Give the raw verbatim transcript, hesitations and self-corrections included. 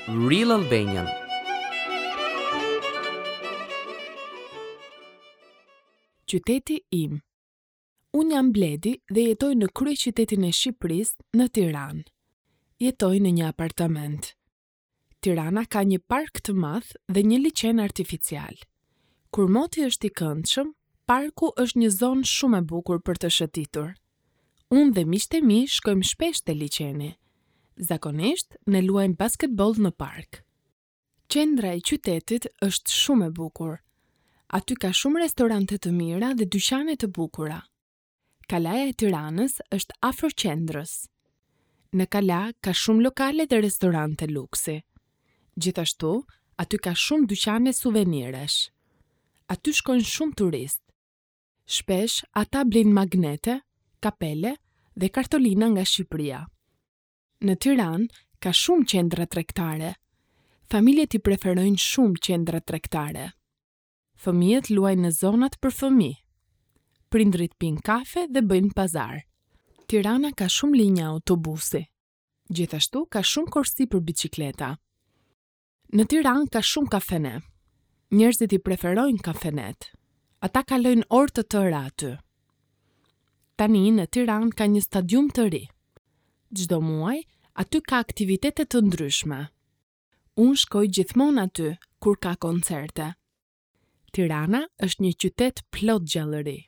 Real Albanian. Qyteti im. Unë jam Bledi dhe jetoj në kryeqytetin e Shqipërisë, në Tiranë. Jetoj në një apartament. Tirana ka një park të madh dhe një liqen artificial. Kur moti është i këndshëm, parku është një zonë shumë e bukur për të shëtitur. Unë dhe miqtë e mi shkojmë shpesh te liqeni. Zakonisht ne luajmë basketboll në park. Qendra e qytetit është shumë e bukur. Aty ka shumë restorante të mira dhe dyqane të bukura. Kalaja e Tiranës është afër qendrës. Në kala ka shumë lokale dhe restorante luksi. Gjithashtu, aty ka shumë dyqane suveniresh. Aty shkojnë shumë turistë. Shpesh ata blejnë magnete, kapele dhe kartolina nga Shqipëria. Në Tiranë ka shumë qendra tregtare. Familjet i preferojnë shumë qendra tregtare. Fëmijët luajnë në zonat për fëmijë. Prindrit pinë kafe dhe bëjnë pazar. Tirana ka shumë linja autobusi. Gjithashtu ka shumë korsi për bicikleta. Në Tiranë ka shumë kafene. Njerëzit i preferojnë kafenet. Ata kalojnë orë të tëra aty. Tani në Tiranë ka një stadium të ri. Çdo muaj aty ka aktivitete të ndryshme. Unë shkoj gjithmonë aty kur ka koncerte. Tirana është një qytet plot gjallëri.